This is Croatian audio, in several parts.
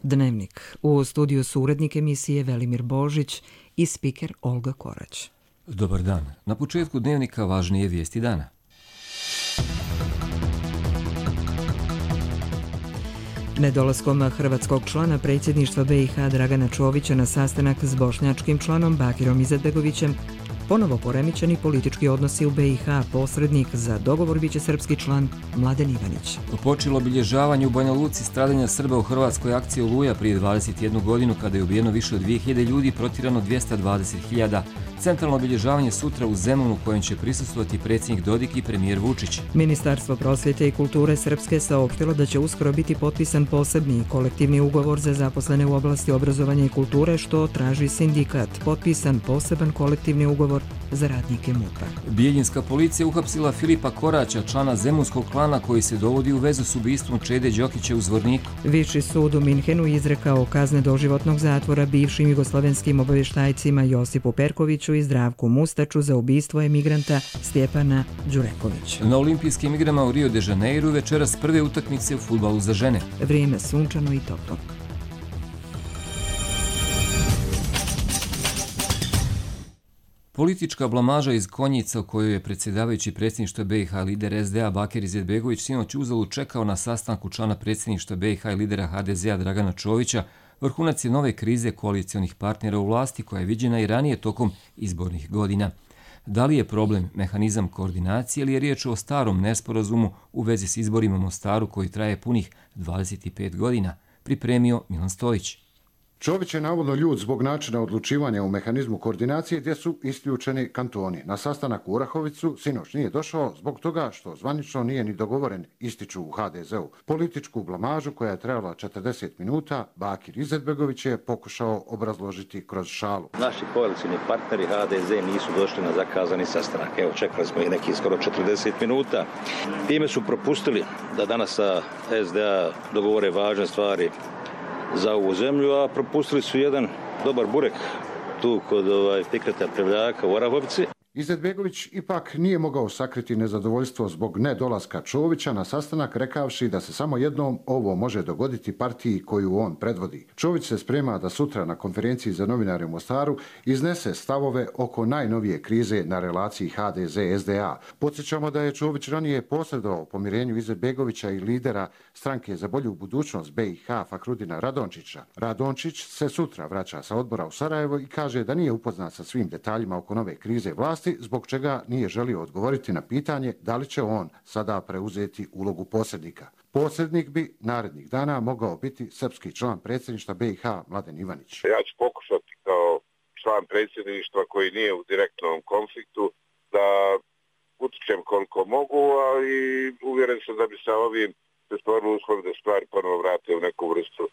Dnevnik. U studiju su urednik emisije Velimir Božić i spiker Olga Korać. Dobar dan. Na početku Dnevnika važnije vijesti dana. Nedolaskom hrvatskog člana predsjedništva BiH Dragana Čovića na sastanak s bošnjačkim članom Bakirom Izetbegovićem ponovo poremećeni politički odnosi u BiH, posrednik za dogovor biće srpski član Mladen Ivanić. Počelo obilježavanje u Banja Luci stradanja Srba u hrvatskoj akciji Oluja prije 21 godinu kada je ubijeno više od 2000 ljudi, protjerano 220.000. Centralno obilježavanje sutra u Zemunu kojem će prisustvovati predsjednik Dodik i premijer Vučić. Ministarstvo prosvjete i kulture Srpske saopštilo da će uskoro biti potpisan posebni kolektivni ugovor za zaposlene u oblasti obrazovanja i kulture, što traži sindikat. Potpisan poseban kolektivni ugovor za radnike MUP-a. Bijeljinska policija uhapsila Filipa Koraća, člana zemunskog klana koji se dovodi u vezu s ubistvom Čede Đokića u Zvorniku. Viši sud u Minhenu izrekao kazne doživotnog zatvora bivšim jugoslovenskim obavještajcima Josipu Perkoviću i Zdravku Mustaču za ubistvo emigranta Stjepana Đurekovića. Na olimpijskim igrama u Rio de Janeiru večeras prve utakmice u fudbalu za žene. Vrijeme sunčano i toplo. Politička blamaža iz Konjica u kojoj je predsjedavajući predsjedništva BiH lider SDA Bakir Izetbegović sinoć uzalud čekao na sastanku člana predsjedništva BiH i lidera HDZ-a Dragana Čovića, vrhunac je nove krize koalicionih partnera u vlasti koja je viđena i ranije tokom izbornih godina. Da li je problem mehanizam koordinacije ili je riječ o starom nesporazumu u vezi s izborima u Mostaru koji traje punih 25 godina, pripremio Milan Stojić. Čović je navodno ljut zbog načina odlučivanja u mehanizmu koordinacije gdje su isključeni kantoni. Na sastanak u Orahovicu sinoć nije došao zbog toga što zvanično nije ni dogovoren, ističu u HDZ-u. Političku blamažu koja je trajala 40 minuta, Bakir Izetbegović je pokušao obrazložiti kroz šalu. Naši koalicijni partneri HDZ nisu došli na zakazani sastanak. Evo, čekali smo ih neki skoro 40 minuta. Time su propustili da danas sa SDA dogovore važne stvari za ovu zemlju, a propustili su jedan dobar burek tu kod Fikreta Prevljaka u Orahovici. Izetbegović ipak nije mogao sakriti nezadovoljstvo zbog nedolaska Čovića na sastanak, rekavši da se samo jednom ovo može dogoditi partiji koju on predvodi. Čović se sprema da sutra na konferenciji za novinare u Mostaru iznese stavove oko najnovije krize na relaciji HDZ-SDA. Podsjećamo da je Čović ranije posredovao pomirenju Izetbegovića i lidera stranke za bolju budućnost BiH Fakrudina Radončića. Radončić se sutra vraća sa odbora u Sarajevo i kaže da nije upoznat sa svim detaljima oko nove krize vlasti, zbog čega nije želio odgovoriti na pitanje da li će on sada preuzeti ulogu posrednika. Posrednik bi narednih dana mogao biti srpski član predsjedništva BiH Mladen Ivanić. Ja ću pokušati kao član predsjedništva koji nije u direktnom konfliktu da utičem koliko mogu, ali uvjeren sam da bi sa ovim se stvorili uslovi da stvari ponovo vrate u neku vrstu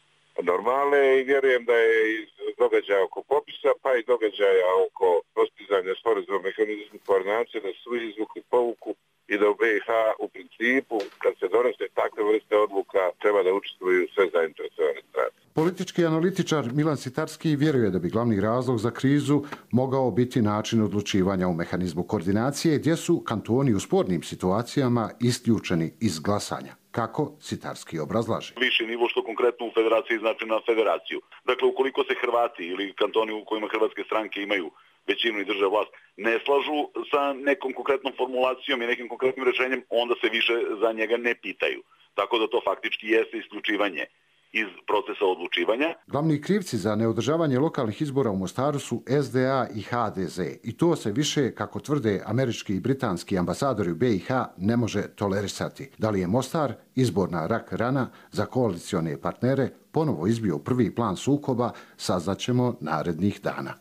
normale i vjerujem da je iz događaja oko popisa pa i događaja oko postizanja sporazuma mehanizmu koordinacije da su izvukli povuku i da u BiH u principu kad se donose takve vrste odluka treba da učestvuju sve zainteresovane strane. Politički analitičar Milan Sitarski vjeruje da bi glavni razlog za krizu mogao biti način odlučivanja u mehanizmu koordinacije gdje su kantoni u spornim situacijama isključeni iz glasanja. Kako Sitarski obrazlaže. Viši nivo što konkretno u federaciji znači na federaciju. Dakle, ukoliko se Hrvati ili kantoni u kojima hrvatske stranke imaju većinu i drže vlast ne slažu sa nekom konkretnom formulacijom i nekim konkretnim rješenjem, onda se više za njega ne pitaju. Tako da to faktički jeste isključivanje iz procesa odlučivanja. Glavni krivci za neodržavanje lokalnih izbora u Mostaru su SDA i HDZ i to se više, kako tvrde američki i britanski ambasadori u BiH, ne može tolerisati. Da li je Mostar izborna rak rana za koalicione partnere ponovo izbio prvi plan sukoba, saznaćemo narednih dana.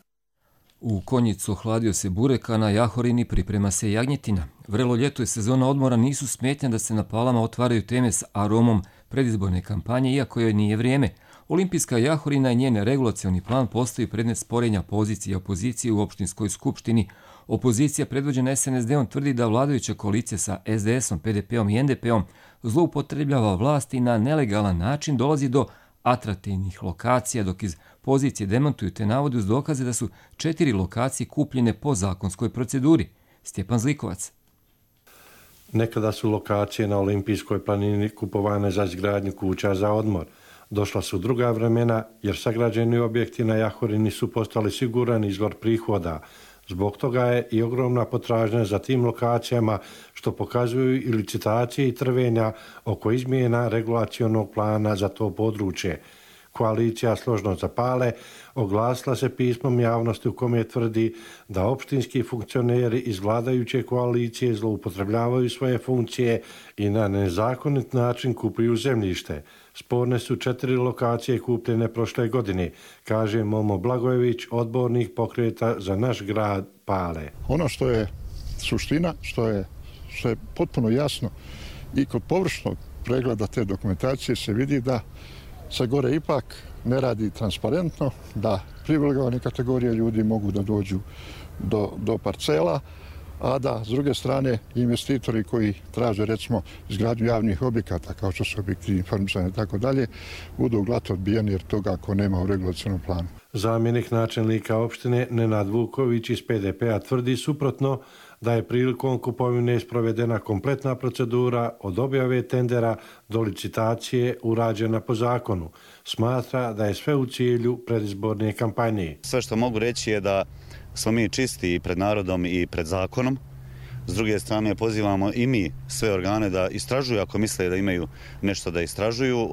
U Konjicu ohladio se burek, a na Jahorini priprema se jagnjetina. Vrelo ljeto i sezona odmora nisu smetnja da se na Palama otvaraju teme s aromom predizborne kampanje, iako joj nije vrijeme. Olimpijska Jahorina i njen regulacioni plan postaju predmet sporenja pozicije i opozicije u opštinskoj skupštini. Opozicija predvođena SNSD-om tvrdi da vladajuća koalicija sa SDS-om, PDP-om i NDP-om zloupotrebljava vlast i na nelegalan način dolazi do atraktivnih lokacija, dok iz pozicije demantuju te navode uz dokaze da su 4 lokacije kupljene po zakonskoj proceduri. Stjepan Zlikovac. Nekada su lokacije na Olimpijskoj planini kupovane za izgradnju kuća za odmor, Došla su druga vremena jer sagrađeni objekti na Jahorini su postali siguran izvor prihoda. Zbog toga je i ogromna potražnja za tim lokacijama, što pokazuju i licitacije i trvenja oko izmjena regulacionog plana za to područje. Koalicija Složno za Pale oglasila se pismom javnosti u kome tvrdi da opštinski funkcioneri iz vladajuće koalicije zloupotrebljavaju svoje funkcije i na nezakonit način kupuju zemljište. Sporne su 4 lokacije kupljene prošle godine, kaže Momo Blagojević, odbornik pokreta za naš grad Pale. Ono što je suština, što je potpuno jasno i kod površnog pregleda te dokumentacije se vidi da se gore ipak ne radi transparentno, da privilegovane kategorije ljudi mogu da dođu do parcela, a da s druge strane investitori koji traže recimo izgradnju javnih objekata kao što su objekti informisanja i tako dalje budu glato odbijeni jer toga ako nema u regulacionom planu. Zamjenik načelnika opštine Nenad Vuković iz PDP-a tvrdi suprotno, da je prilikom kupovine sprovedena kompletna procedura od objave tendera do licitacije urađena po zakonu. Smatra da je sve u cilju predizborne kampanje. Sve što mogu reći je da smo mi čisti i pred narodom i pred zakonom. S druge strane pozivamo i mi sve organe da istražuju ako misle da imaju nešto da istražuju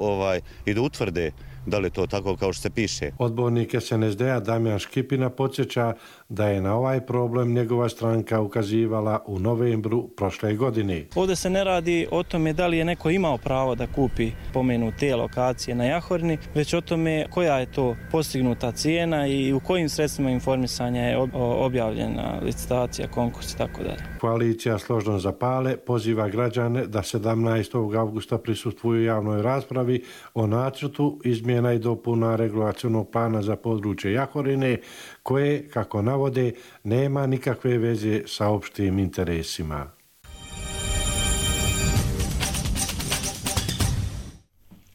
i da utvrde da li je to tako kao što se piše. Odbornik SNSD-a Damjan Škipina podsjeća da je na ovaj problem njegova stranka ukazivala u novembru prošle godine. Ovdje se ne radi o tome da li je neko imao pravo da kupi pomenute lokacije na Jahorini, već o tome koja je to postignuta cijena i u kojim sredstvima informisanja je objavljena licitacija, konkurs i tako dalje. Koalicija Složno za Pale poziva građane da 17. avgusta prisustvuju javnoj raspravi o nacrtu izmjena i dopuna regulacionog plana za područje Jahorine, koje, kako navode, nema nikakve veze sa opštim interesima.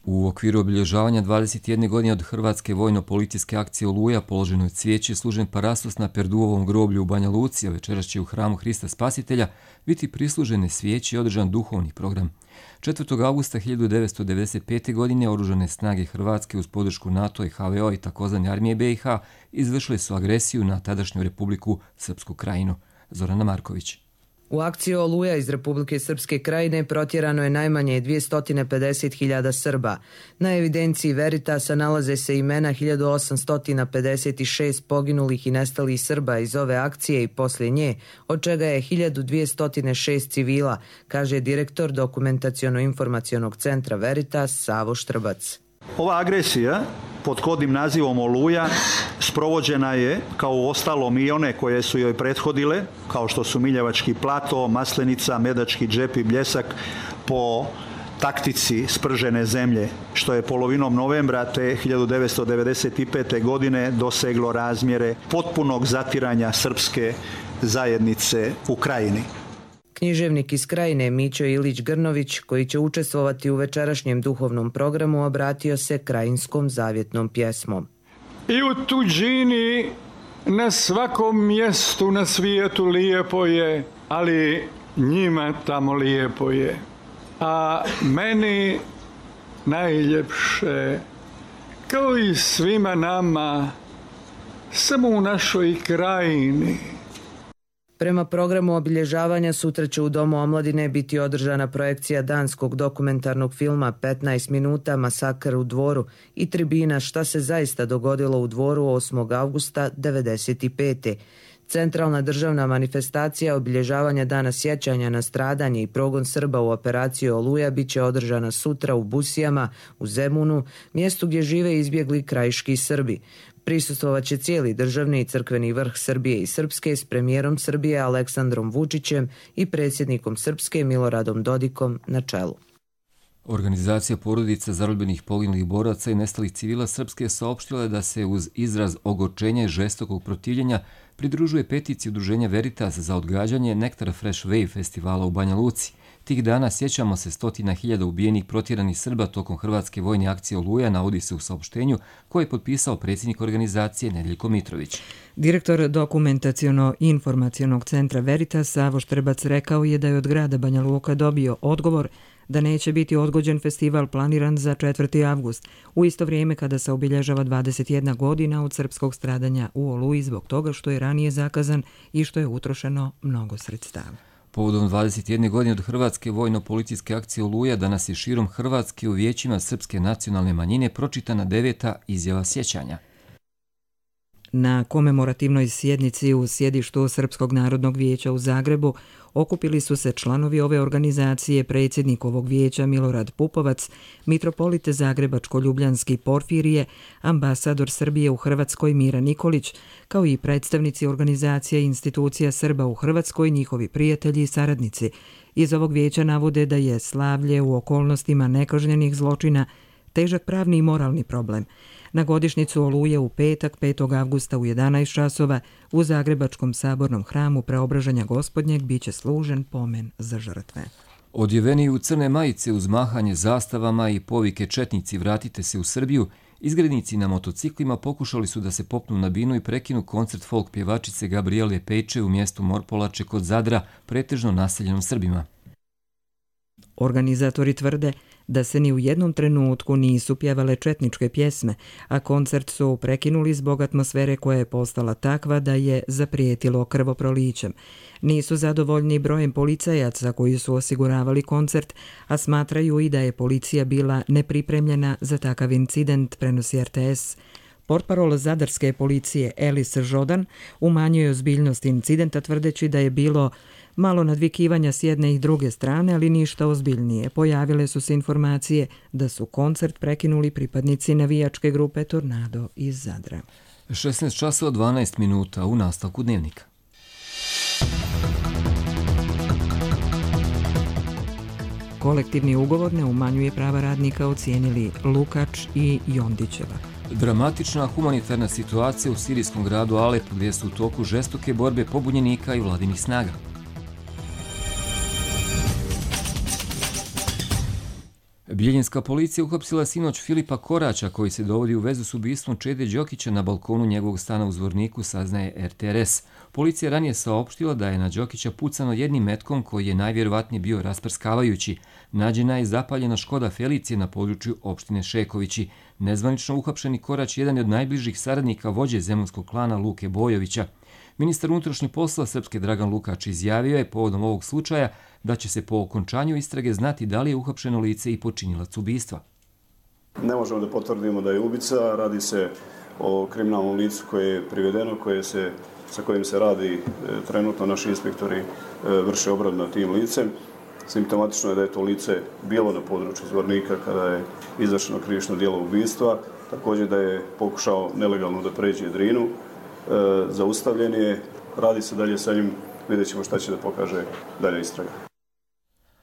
U okviru obilježavanja 21 godine od Hrvatske vojno-policijske akcije Oluja položeno je cvijeće i služen parastos na Perduovom groblju u Banja Luci, a večeras će u hramu Hrista Spasitelja biti prislužene svijeće i održan duhovni program. 4. augusta 1995. godine oružane snage Hrvatske uz podršku NATO i HVO i takozvane armije BiH izvršile su agresiju na tadašnju Republiku Srpsku Krajinu. Zorana Marković. U akciji Oluja iz Republike Srpske Krajine protjerano je najmanje 250.000 Srba. Na evidenciji Veritasa nalaze se imena 1856 poginulih i nestalih Srba iz ove akcije i poslije nje, od čega je 1206 civila, kaže direktor Dokumentaciono-informacionog centra Veritas Savo Štrbac. Ova agresija pod kodnim nazivom Oluja sprovođena je, kao u ostalom i one koje su joj prethodile, kao što su Miljevački plato, Maslenica, Medački džep i Bljesak, po taktici spržene zemlje, što je polovinom novembra te 1995. godine doseglo razmjere potpunog zatiranja srpske zajednice u Krajini. Književnik iz Krajine Mićo Ilić Grnović, koji će učestvovati u večerašnjem duhovnom programu, obratio se krajinskom zavjetnom pjesmom. I u tuđini na svakom mjestu na svijetu lijepo je, ali njima tamo lijepo je. A meni najljepše, kao i svima nama, samo u našoj krajini. Prema programu obilježavanja sutra će u Domu omladine biti održana projekcija danskog dokumentarnog filma 15 minuta Masakr u Dvoru i tribina Šta se zaista dogodilo u Dvoru 8. avgusta 1995. Centralna državna manifestacija obilježavanja Dana sjećanja na stradanje i progon Srba u operaciji Oluja bit će održana sutra u Busijama, u Zemunu, mjestu gdje žive izbjegli krajiški Srbi. Prisustvovat će cijeli državni i crkveni vrh Srbije i Srpske s premijerom Srbije Aleksandrom Vučićem i predsjednikom Srpske Miloradom Dodikom na čelu. Organizacija porodica zarobljenih poginulih boraca i nestalih civila Srpske saopštila je da se uz izraz ogorčenja i žestokog protivljenja pridružuje peticiji udruženja Veritas za odgađanje Nektar Fresh Wave festivala u Banja Luci. Tih dana sjećamo se 100.000 ubijenih protjeranih Srba tokom Hrvatske vojne akcije Oluja, navodi se u saopštenju koje je potpisao predsjednik organizacije Nedeljko Mitrović. Direktor Dokumentaciono-informacionog centra Veritas Savo Štrbac rekao je da je od grada Banja Luka dobio odgovor da neće biti odgođen festival planiran za 4. avgust, u isto vrijeme kada se obilježava 21 godina od srpskog stradanja u Oluji zbog toga što je ranije zakazan i što je utrošeno mnogo sredstava. Povodom 21 godine od Hrvatske vojno-policijske akcije Oluja danas je širom Hrvatske u vijećima srpske nacionalne manjine pročitana 9. izjava sjećanja. Na komemorativnoj sjednici u sjedištu Srpskog narodnog vijeća u Zagrebu okupili su se članovi ove organizacije, predsjednik ovog vijeća Milorad Pupovac, mitropolite Zagrebačko-Ljubljanski Porfirije, ambasador Srbije u Hrvatskoj Mira Nikolić, kao i predstavnici organizacija i institucija Srba u Hrvatskoj, njihovi prijatelji i saradnici. Iz ovog vijeća navode da je slavlje u okolnostima nekažnjenih zločina težak pravni i moralni problem. Na godišnjicu Oluje u petak, 5. avgusta u 11 časova u Zagrebačkom sabornom hramu Preobražanja Gospodnjeg biće služen pomen za žrtve. Odjeveni u crne majice uz mahanje zastavama i povike četnici vratite se u Srbiju, izgrednici na motociklima pokušali su da se popnu na binu i prekinu koncert folk pjevačice Gabriele Pejče u mjestu Morpolače kod Zadra, pretežno naseljenom Srbima. Organizatori tvrde da se ni u jednom trenutku nisu pjevale četničke pjesme, a koncert su prekinuli zbog atmosfere koja je postala takva da je zaprijetilo krvoprolićem. Nisu zadovoljni brojem policajaca koji su osiguravali koncert, a smatraju i da je policija bila nepripremljena za takav incident, prenosi RTS. Portparol zadarske policije Elis Žodan umanjuje ozbiljnost incidenta tvrdeći da je bilo malo nadvikivanja s jedne i druge strane, ali ništa ozbiljnije. Pojavile su se informacije da su koncert prekinuli pripadnici navijačke grupe Tornado iz Zadra. 16 časova 12 minuta u nastavku dnevnika. Kolektivni ugovor ne umanjuje prava radnika, ocijenili Lukač i Jondićeva. Dramatična humanitarna situacija u sirijskom gradu Alep, gdje su u toku žestoke borbe pobunjenika i vladinih snaga. Bijeljinska policija uhapsila sinoć Filipa Koraća, koji se dovodi u vezu s ubistvom Čede Đokića na balkonu njegovog stana u Zvorniku, saznaje RTRS. Policija ranije saopštila da je na Đokića pucano jednim metkom koji je najvjerovatnije bio rasprskavajući. Nađena je zapaljena Škoda Felicije na području opštine Šekovići. Nezvanično uhapšeni Korać jedan je od najbližih saradnika vođe zemunskog klana Luke Bojovića. Ministar unutrašnjih poslova Srpske Dragan Lukač izjavio je povodom ovog slučaja da će se po okončanju istrage znati da li je uhapšeno lice i počinilac ubistva. Ne možemo da potvrdimo da je ubica, radi se o kriminalnom licu koje je privedeno, sa kojim se radi trenutno, naši inspektori vrše obradu nad tim licem. Simptomatično je da je to lice bilo na području Zvornika kada je izvršeno krivično djelo ubistva, također da je pokušao nelegalno da pređe Drinu, zaustavljen je, radi se dalje sa njim, vidjet ćemo šta će da pokaže dalje istraga.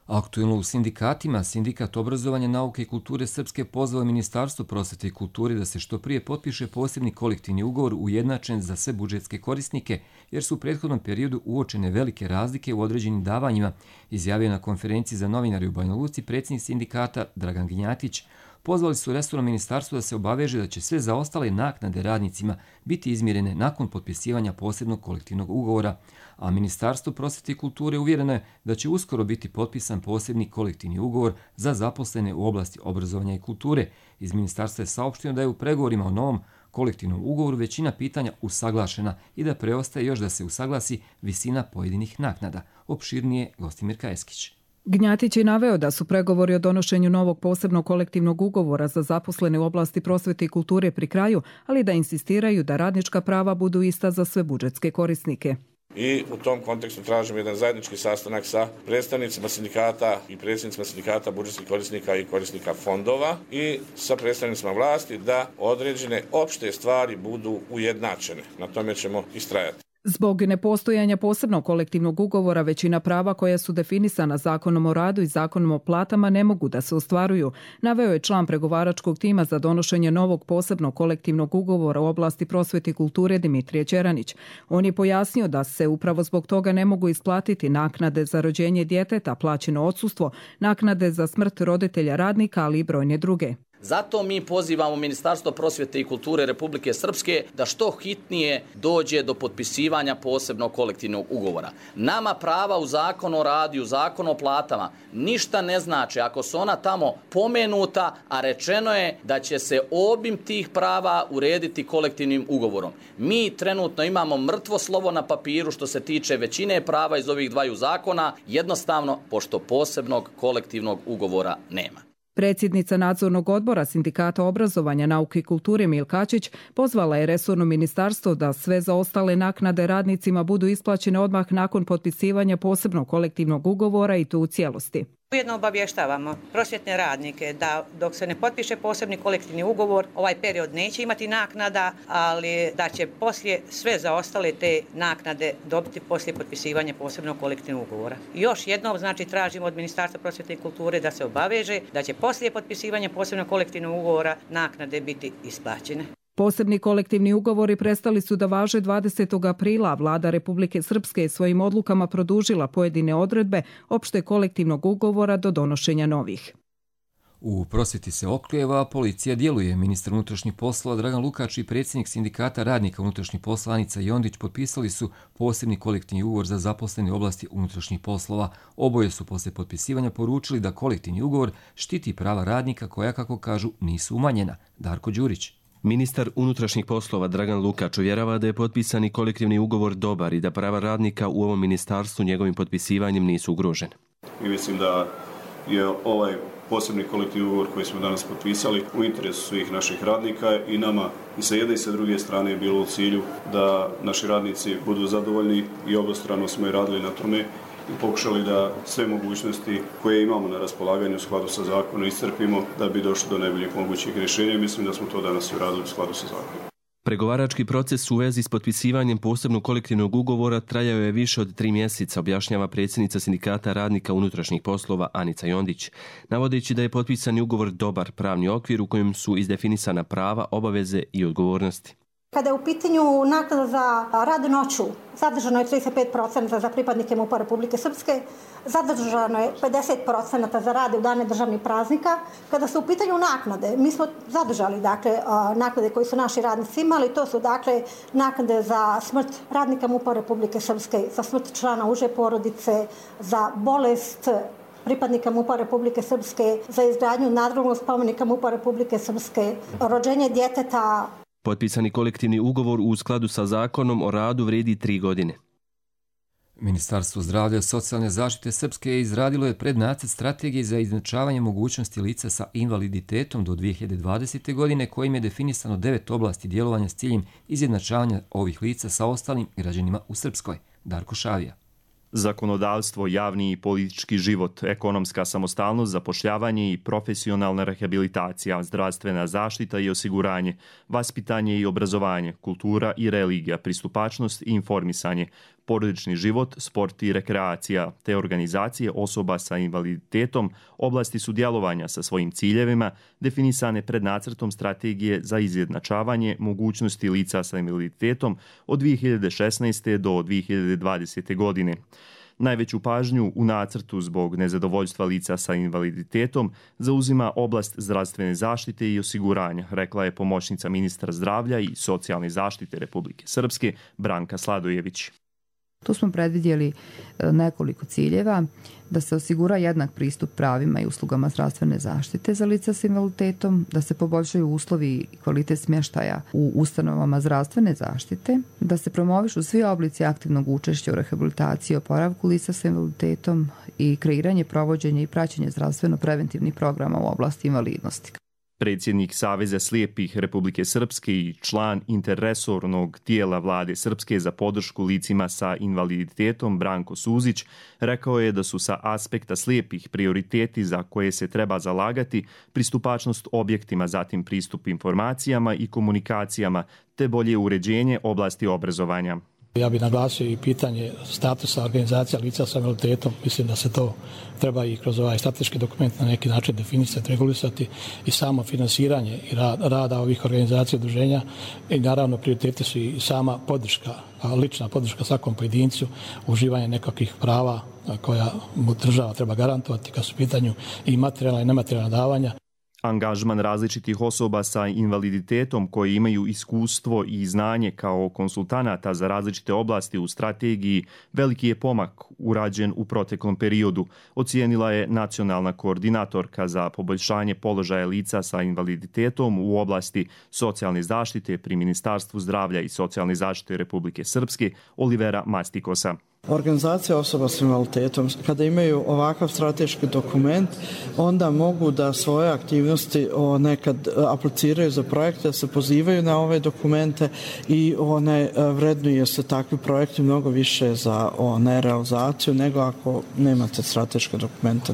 Aktuelno u sindikatima, Sindikat obrazovanja, nauke i kulture Srpske pozvao Ministarstvo prosvete i kulture da se što prije potpiše posebni kolektivni ugovor ujednačen za sve budžetske korisnike, jer su u prethodnom periodu uočene velike razlike u određenim davanjima, izjavio na konferenciji za novinari u Banja Luci predsjednik sindikata Dragan Gnjatić. Pozvali su resorno ministarstvo da se obaveže da će sve zaostale naknade radnicima biti izmjerene nakon potpisivanja posebnog kolektivnog ugovora, a Ministarstvo prosvete i kulture uvjereno je da će uskoro biti potpisan posebni kolektivni ugovor za zaposlene u oblasti obrazovanja i kulture. Iz ministarstva je saopšteno da je u pregovorima o novom kolektivnom ugovoru većina pitanja usaglašena i da preostaje još da se usaglasi visina pojedinih naknada. Opširnije Gostimir Kajeskić. Gnjatić je naveo da su pregovori o donošenju novog posebnog kolektivnog ugovora za zaposlene u oblasti prosvete i kulture pri kraju, ali da insistiraju da radnička prava budu ista za sve budžetske korisnike. I u tom kontekstu tražimo jedan zajednički sastanak sa predstavnicima sindikata i predsjednicima sindikata budžetskih korisnika i korisnika fondova i sa predstavnicima vlasti da određene opšte stvari budu ujednačene. Na tome ćemo istrajati. Zbog nepostojanja posebnog kolektivnog ugovora, većina prava koja su definisana Zakonom o radu i Zakonom o platama ne mogu da se ostvaruju, naveo je član pregovaračkog tima za donošenje novog posebnog kolektivnog ugovora u oblasti prosvete i kulture Dimitrije Čeranić. On je pojasnio da se upravo zbog toga ne mogu isplatiti naknade za rođenje djeteta, plaćeno odsustvo, naknade za smrt roditelja radnika, ali i brojne druge. Zato mi pozivamo Ministarstvo prosvjete i kulture Republike Srpske da što hitnije dođe do potpisivanja posebnog kolektivnog ugovora. Nama prava u Zakonu o radu, u Zakonu o platama ništa ne znači ako su ona tamo pomenuta, a rečeno je da će se obim tih prava urediti kolektivnim ugovorom. Mi trenutno imamo mrtvo slovo na papiru što se tiče većine prava iz ovih dvaju zakona, jednostavno pošto posebnog kolektivnog ugovora nema. Predsjednica Nadzornog odbora Sindikata obrazovanja, nauke i kulture Milkačić pozvala je resorno ministarstvo da sve zaostale naknade radnicima budu isplaćene odmah nakon potpisivanja posebnog kolektivnog ugovora i to u cijelosti. Ujedno obavještavamo prosvjetne radnike da dok se ne potpiše posebni kolektivni ugovor, ovaj period neće imati naknada, ali da će poslije sve zaostale te naknade dobiti poslije potpisivanja posebnog kolektivnog ugovora. Još jednom tražimo od Ministarstva prosvjete i kulture da se obaveže da će poslije potpisivanja posebnog kolektivnog ugovora naknade biti isplaćene. Posebni kolektivni ugovori prestali su da važe 20. aprila, a vlada Republike Srpske je svojim odlukama produžila pojedine odredbe opšte kolektivnog ugovora do donošenja novih. U prosvjeti se oklijeva, policija djeluje. Ministar unutrašnjih poslova Dragan Lukač i predsjednik Sindikata radnika unutrašnjih poslova Anica Jondić potpisali su posebni kolektivni ugovor za zaposlene u oblasti unutrašnjih poslova. Oboje su poslije potpisivanja poručili da kolektivni ugovor štiti prava radnika koja, kako kažu, nisu umanjena. Darko Đurić. Ministar unutrašnjih poslova Dragan Lukač uvjerava da je potpisani kolektivni ugovor dobar i da prava radnika u ovom ministarstvu njegovim potpisivanjem nisu ugrožene. I mislim da je ovaj posebni kolektivni ugovor koji smo danas potpisali u interesu svih naših radnika i nama i sa jedne i sa druge strane je bilo u cilju da naši radnici budu zadovoljni i obostrano smo i radili na tome i pokušali da sve mogućnosti koje imamo na raspolaganju u skladu sa zakonom iscrpimo da bi došli do najboljih mogućih rješenja. Mislim da smo to danas i uradili u skladu sa zakonom. Pregovarački proces u vezi s potpisivanjem posebnog kolektivnog ugovora trajao je više od 3 mjeseca, objašnjava predsjednica Sindikata radnika unutrašnjih poslova Anica Jondić, navodeći da je potpisani ugovor dobar pravni okvir u kojem su izdefinisana prava, obaveze i odgovornosti. Kada je u pitanju naknada za rad noću, zadržano je 35% za pripadnike MUP-a Republike Srpske, zadržano je 50% za rade u dane državnih praznika. Kada su u pitanju naknade, mi smo zadržali naknade koje su naši radnici imali, to su naknade za smrt radnika MUP-a Republike Srpske, za smrt člana uže porodice, za bolest pripadnika MUP-a Republike Srpske, za izgradnju nadgrobnog spomenika MUP-a Republike Srpske, rođenje djeteta. Potpisani kolektivni ugovor u skladu sa zakonom o radu vrijedi 3 godine. Ministarstvo zdravlja i socijalne zaštite Srpske izradilo je prednacrt strategije za izjednačavanje mogućnosti lica sa invaliditetom do 2020. godine kojim je definisano 9 oblasti djelovanja s ciljem izjednačavanja ovih lica sa ostalim građanima u Srpskoj. Darko Šavija. Zakonodavstvo, javni i politički život, ekonomska samostalnost, zapošljavanje i profesionalna rehabilitacija, zdravstvena zaštita i osiguranje, vaspitanje i obrazovanje, kultura i religija, pristupačnost i informisanje, porodični život, sport i rekreacija, te organizacije osoba sa invaliditetom oblasti su djelovanja sa svojim ciljevima definisane pred nacrtom strategije za izjednačavanje mogućnosti lica sa invaliditetom od 2016. do 2020. godine. Najveću pažnju u nacrtu zbog nezadovoljstva lica sa invaliditetom zauzima oblast zdravstvene zaštite i osiguranja, rekla je pomoćnica ministra zdravlja i socijalne zaštite Republike Srpske Branka Sladojević. Tu smo predvidjeli nekoliko ciljeva, da se osigura jednak pristup pravima i uslugama zdravstvene zaštite za lica s invaliditetom, da se poboljšaju uslovi i kvalitet smještaja u ustanovama zdravstvene zaštite, da se promovišu svi oblici aktivnog učešća u rehabilitaciji i oporavku lica s invaliditetom i kreiranje, provođenje i praćenje zdravstveno-preventivnih programa u oblasti invalidnosti. Predsjednik Saveza slijepih Republike Srpske i član interresornog tijela vlade Srpske za podršku licima sa invaliditetom Branko Suzić rekao je da su sa aspekta slijepih prioriteti za koje se treba zalagati pristupačnost objektima, zatim pristup informacijama i komunikacijama, te bolje uređenje oblasti obrazovanja. Ja bih naglasio i pitanje statusa organizacija lica sa invaliditetom. Mislim da se to treba i kroz ovaj strateški dokument na neki način definisati, regulisati i samo finansiranje i rada ovih organizacija udruženja. I naravno prioriteti su i sama podrška, lična podrška svakom pojedincu, uživanje nekakvih prava koja mu država treba garantovati kad su u pitanju i materijalna i nematerijalna davanja. Angažman različitih osoba sa invaliditetom koji imaju iskustvo i znanje kao konsultanata za različite oblasti u strategiji veliki je pomak urađen u proteklom periodu, ocijenila je nacionalna koordinatorka za poboljšanje položaja lica sa invaliditetom u oblasti socijalne zaštite pri Ministarstvu zdravlja i socijalne zaštite Republike Srpske Olivera Mastikosa. Organizacija osoba s invaliditetom, kada imaju ovakav strateški dokument, onda mogu da svoje aktivnosti nekad apliciraju za projekte, da se pozivaju na ove dokumente i vrednuje se takvi projekti mnogo više za realizaciju nego ako nemate strateške dokumente.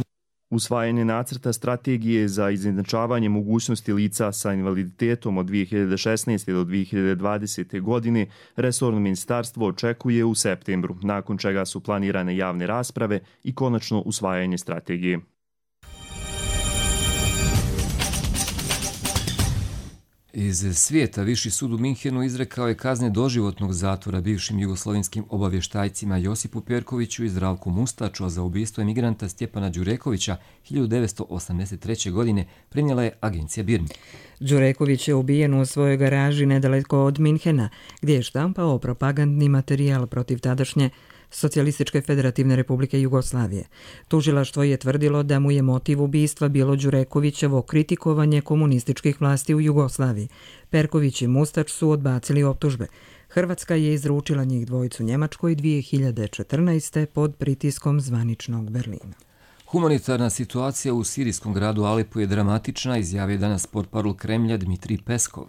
Usvajanje nacrta strategije za izjednačavanje mogućnosti lica sa invaliditetom od 2016. do 2020. godine resorno ministarstvo očekuje u septembru, nakon čega su planirane javne rasprave i konačno usvajanje strategije. Iz svijeta Viši sud u Minhenu izrekao je kazne doživotnog zatvora bivšim jugoslovenskim obavještajcima Josipu Perkoviću i Zdravku Mustaču, a za ubistvo emigranta Stjepana Đurekovića 1983. godine prenijela je agencija BIRN. Đureković je ubijen u svojoj garaži nedaleko od Minhena, gdje je štampao propagandni materijal protiv tadašnje Socijalističke federativne republike Jugoslavije. Tužilaštvo je tvrdilo da mu je motiv ubistva bilo Đurekovićevo kritikovanje komunističkih vlasti u Jugoslaviji. Perković i Mustač su odbacili optužbe. Hrvatska je izručila njih dvojicu Njemačkoj 2014. pod pritiskom zvaničnog Berlina. Humanitarna situacija u sirijskom gradu Alepu je dramatična, izjavio danas portparol Kremlja Dmitrij Peskov.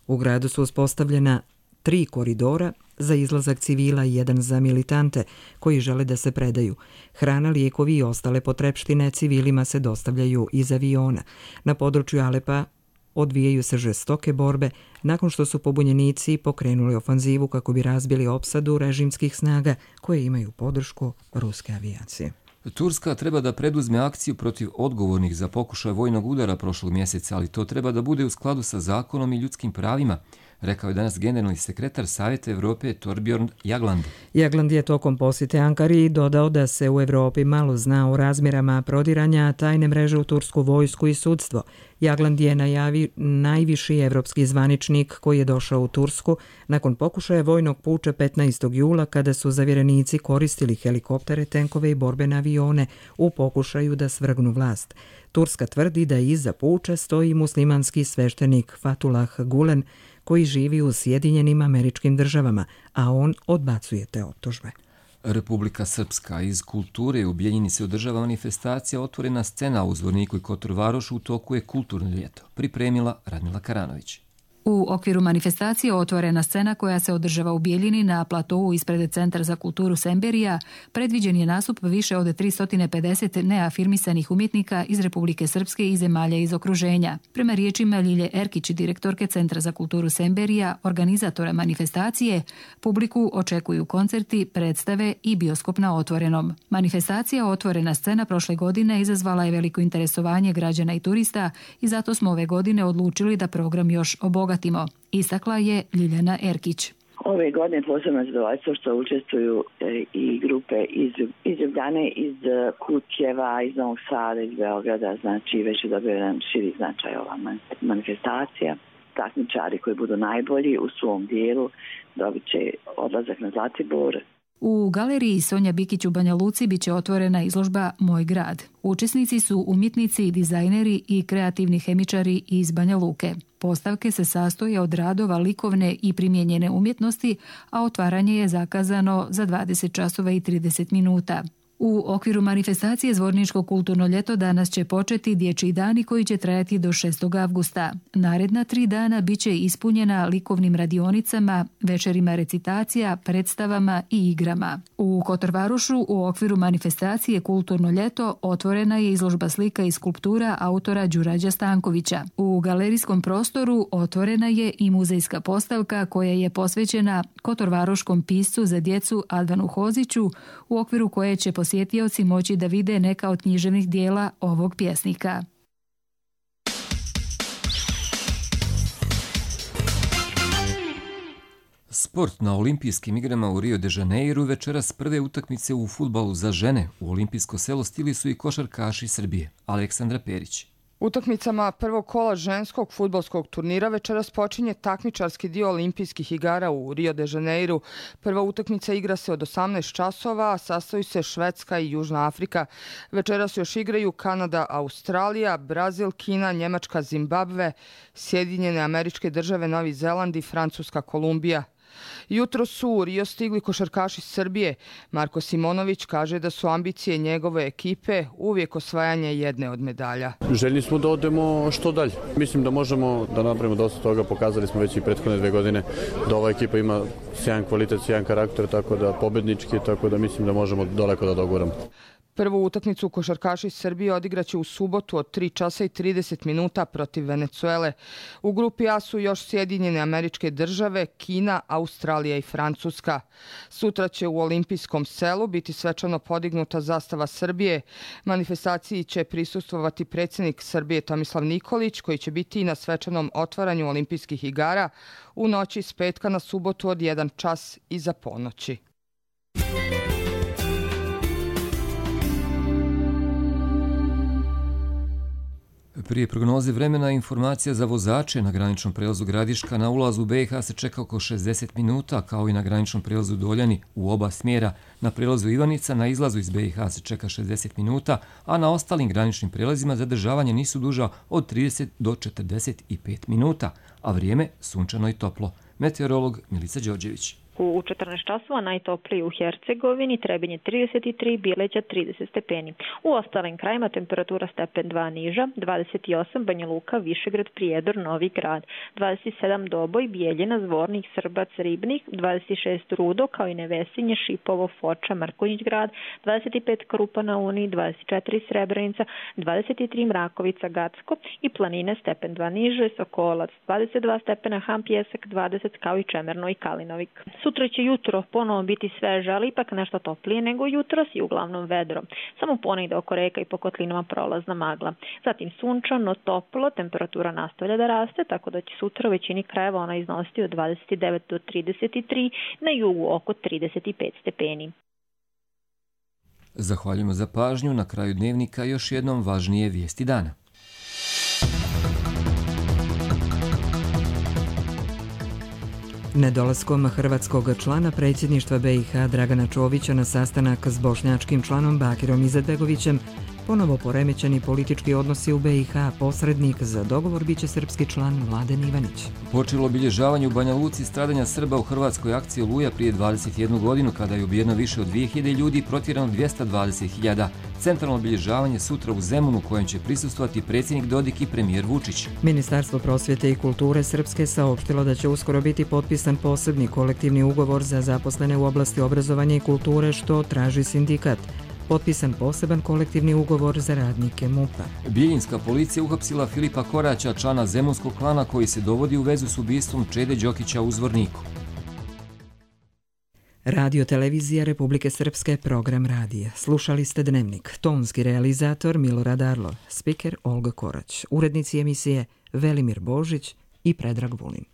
U gradu su uspostavljena 3 koridora za izlazak civila i 1 za militante koji žele da se predaju. Hrana, lijekovi i ostale potrepštine civilima se dostavljaju iz aviona. Na području Alepa odvijaju se žestoke borbe nakon što su pobunjenici pokrenuli ofanzivu kako bi razbili opsadu režimskih snaga koje imaju podršku ruske avijacije. Turska treba da preduzme akciju protiv odgovornih za pokušaj vojnog udara prošlog mjeseca, ali to treba da bude u skladu sa zakonom i ljudskim pravima, rekao je danas generalni sekretar Savjeta Evrope Torbjorn Jagland. Jagland je tokom posjete Ankari dodao da se u Evropi malo zna o razmjerama prodiranja tajne mreže u tursku vojsku i sudstvo. Jagland je najviši evropski zvaničnik koji je došao u Tursku nakon pokušaja vojnog puča 15. jula kada su zavjerenici koristili helikoptere, tenkove i borbene avione u pokušaju da svrgnu vlast. Turska tvrdi da iza puča stoji muslimanski sveštenik Fatullah Gulen koji živi u Sjedinjenim Američkim Državama, a on odbacuje te optužbe. Republika Srpska. Iz kulture u Bijeljini se održava manifestacija Otvorena scena u Zvorniku i Kotor-Varošu, u toku je kulturno ljeto. Pripremila Radmila Karanović. U okviru manifestacije Otvorena scena koja se održava u Bijeljini na platovu ispred Centra za kulturu Semberija predviđen je nastup više od 350 neafirmisanih umjetnika iz Republike Srpske i zemalja iz okruženja. Prema riječima Ljilje Erkić, direktorke Centra za kulturu Semberija, organizatora manifestacije, publiku očekuju koncerti, predstave i bioskop na otvorenom. Manifestacija Otvorena scena prošle godine izazvala je veliko interesovanje građana i turista i zato smo ove godine odlučili da program još obogatimo, istakla je Ljiljana Erkić. Ove godine posebno zadovoljstvo što učestvuju i grupe iz Ljubljane, iz Kutjeva, iz Novog Sada, iz Beograda, znači već je dobio jedan širi značaj ova manifestacija. Takmičari koji budu najbolji u svom dijelu dobit će odlazak na Zlatibor. U galeriji Sonja Bikić u Banja Luci biće otvorena izložba Moj grad. Učesnici su umjetnici, dizajneri i kreativni hemičari iz Banja Luke. Postavke se sastoje od radova likovne i primijenjene umjetnosti, a otvaranje je zakazano za 20 časova i 30 minuta. U okviru manifestacije Zvorničko kulturno ljeto danas će početi dječji dani koji će trajati do 6. avgusta. Naredna 3 dana bit će ispunjena likovnim radionicama, večerima recitacija, predstavama i igrama. U Kotor-Varošu u okviru manifestacije Kulturno ljeto otvorena je izložba slika i skulptura autora Đurađa Stankovića. U galerijskom prostoru otvorena je i muzejska postavka koja je posvećena kotorvaroškom piscu za djecu Advanu Hoziću, u okviru koje će posjetioci moći da vide neka od književnih dijela ovog pjesnika. Sport na olimpijskim igrama u Rio de Janeiru večeras prve utakmice u fudbalu za žene u olimpijsko selo stigli su i košarkaši Srbije. Aleksandra Perić. Utakmicama prvog kola ženskog fudbalskog turnira večeras počinje takmičarski dio olimpijskih igara u Rio de Janeiru. Prva utakmica igra se od 18 časova, a sastoji se Švedska i Južna Afrika. Večeras još igraju Kanada, Australija, Brazil, Kina, Njemačka, Zimbabve, Sjedinjene Američke Države, Novi Zeland i Francuska Kolumbija. Jutro su u Rio stigli košarkaši Srbije. Marko Simonović kaže da su ambicije njegove ekipe uvijek osvajanje jedne od medalja. Željni smo da odemo što dalje. Mislim da možemo da napravimo dosta toga. Pokazali smo već i prethodne 2 godine da ova ekipa ima sjajan kvalitet, sjajan karakter, tako da pobednički, tako da mislim da možemo daleko da doguramo. Prvu utakmicu košarkaši Srbije odigraće u subotu od 3 časa i 30 minuta protiv Venecuele. U grupi A su još Sjedinjene Američke Države, Kina, Australija i Francuska. Sutra će u Olimpijskom selu biti svečano podignuta zastava Srbije. Manifestaciji će prisustvovati predsjednik Srbije Tomislav Nikolić, koji će biti i na svečanom otvaranju Olimpijskih igara u noći s petka na subotu od 1 čas iza ponoći. Prije prognoze vremena informacija za vozače na graničnom prelazu Gradiška na ulazu u BiH se čeka oko 60 minuta, kao i na graničnom prelazu Doljani u oba smjera. Na prelazu Ivanica na izlazu iz BiH se čeka 60 minuta, a na ostalim graničnim prelazima zadržavanja nisu duža od 30 do 45 minuta, a vrijeme sunčano i toplo. Meteorolog Milica Đorđević. U 14 časova najtopliji u Hercegovini, Trebinje 33, Bileća 30 stepeni. U ostalim krajima temperatura stepen 2 niža, 28 Banja Luka, Višegrad, Prijedor, Novi Grad, 27 Doboj, Bijeljina, Zvornik, Srbac, Ribnik, 26 Rudo, kao i Nevesinje, Šipovo, Foča, Mrkonjić Grad, 25 Krupa na Uni, 24 Srebrenica, 23 Mrakovica, Gacko i Planine stepen 2 niže, Sokolac, 22 stepena, Ham Pjesak, 20 kao i Čemerno i Kalinovik. Sutra će jutro ponovo biti sveže, ali ipak nešto toplije nego jutros i uglavnom vedro. Samo ponegde oko reka i po kotlinama prolazna magla. Zatim sunčano, toplo, temperatura nastavlja da raste, tako da će sutra u većini krajeva ona iznositi od 29 do 33, na jugu oko 35 stepeni. Zahvaljujemo za pažnju. Na kraju dnevnika još jednom važnije vijesti dana. Nedolaskom hrvatskog člana predsjedništva BiH Dragana Čovića na sastanak s bošnjačkim članom Bakirom Izetbegovićem ponovo poremećeni politički odnosi u BiH, posrednik za dogovor biće srpski član Mladen Ivanić. Počelo obilježavanje u Banja Luci stradanja Srba u hrvatskoj akciji Oluja prije 21 godinu, kada je ubijeno više od 2000 ljudi i protjerano 220.000. Centralno obilježavanje sutra u Zemunu, kojem će prisustvovati predsjednik Dodik i premijer Vučić. Ministarstvo prosvjete i kulture Srpske saopštilo da će uskoro biti potpisan posebni kolektivni ugovor za zaposlene u oblasti obrazovanja i kulture, što traži sindikat. Potpisan poseban kolektivni ugovor za radnike MUP-a. Bijeljinska policija uhapsila Filipa Koraća, člana zemunskog klana koji se dovodi u vezu s ubistvom Čede Đokića u Zvorniku. Radio televizija Republike Srpske, program radija. Slušali ste Dnevnik. Tonski realizator Milorad Arlov, spiker Olga Korać, urednici emisije Velimir Božić i Predrag Vulin.